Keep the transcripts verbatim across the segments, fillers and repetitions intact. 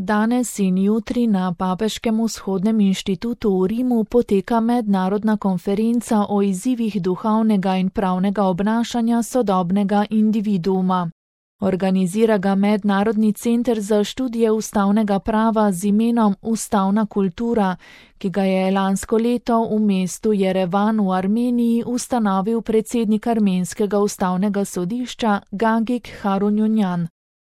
Danes in jutri na Papeškem vzhodnem inštitutu v Rimu poteka mednarodna konferenca o izzivih duhovnega in pravnega obnašanja sodobnega individuuma. Organizira ga Mednarodni center za študije ustavnega prava z imenom Ustavna kultura, ki ga je lansko leto v mestu Jerevan v Armeniji ustanovil predsednik armenskega ustavnega sodišča Gagik Harunjunjan.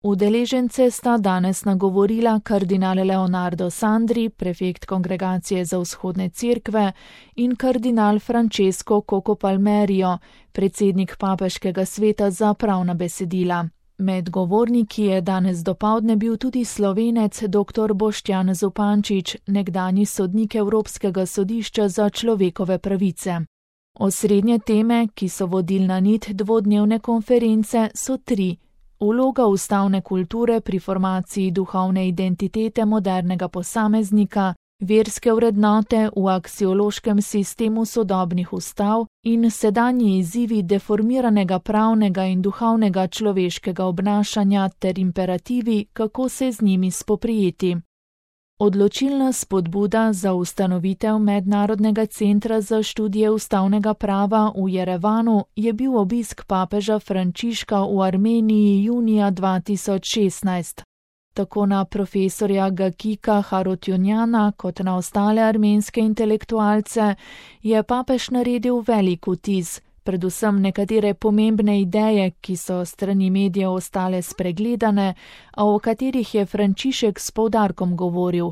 Udeležence sta danes nagovorila kardinal Leonardo Sandri, prefekt Kongregacije za vzhodne cerkve, in kardinal Francesco Coco Palmerio, predsednik Papeškega sveta za pravna besedila. Med govorniki je danes dopoldne bil tudi Slovenec dr. Boštjan Zupančič, nekdanji sodnik Evropskega sodišča za človekove pravice. Osrednje teme, ki so vodilna nit dvodnevne konference, so tri. Vloga ustavne kulture pri formaciji duhovne identitete modernega posameznika, verske vrednote v aksiološkem sistemu sodobnih ustav in sedanji izzivi deformiranega pravnega in duhovnega človeškega obnašanja ter imperativi, kako se z njimi spoprijeti. Odločilna spodbuda za ustanovitev Mednarodnega centra za študije ustavnega prava v Jerevanu je bil obisk papeža Frančiška v Armeniji junija dva tisoč šestnajst. Tako na profesorja Gagika Harutjunjana kot na ostale armenske intelektualce je papež naredil velik vtis, predvsem nekatere pomembne ideje, ki so strani medijev ostale spregledane, a o katerih je Frančišek s poudarkom govoril.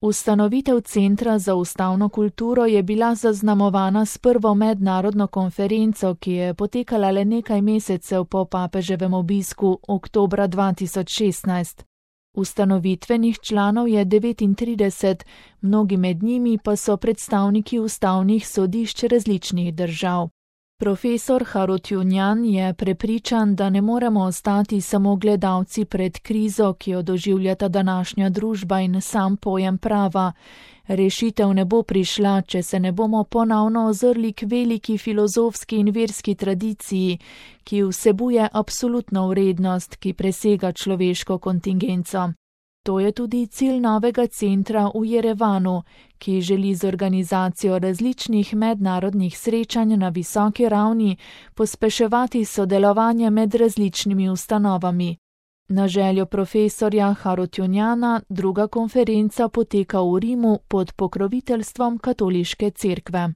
Ustanovitev Centra za ustavno kulturo je bila zaznamovana s prvo mednarodno konferenco, ki je potekala le nekaj mesecev po papeževem obisku oktobra dva tisoč šestnajst. Ustanovitvenih članov je devetintrideset, mnogi med njimi pa so predstavniki ustavnih sodišč različnih držav. Profesor Harutjunjan je prepričan, da ne moremo ostati samo gledalci pred krizo, ki jo doživljata današnja družba in sam pojem prava. Rešitev ne bo prišla, če se ne bomo ponovno ozrli k veliki filozofski in verski tradiciji, ki vsebuje absolutno vrednost, ki presega človeško kontingenco. To je tudi cilj novega centra v Jerevanu, ki želi z organizacijo različnih mednarodnih srečanj na visoki ravni pospeševati sodelovanje med različnimi ustanovami. Na željo profesorja Harutjunjana druga konferenca poteka v Rimu pod pokroviteljstvom katoliške cerkve.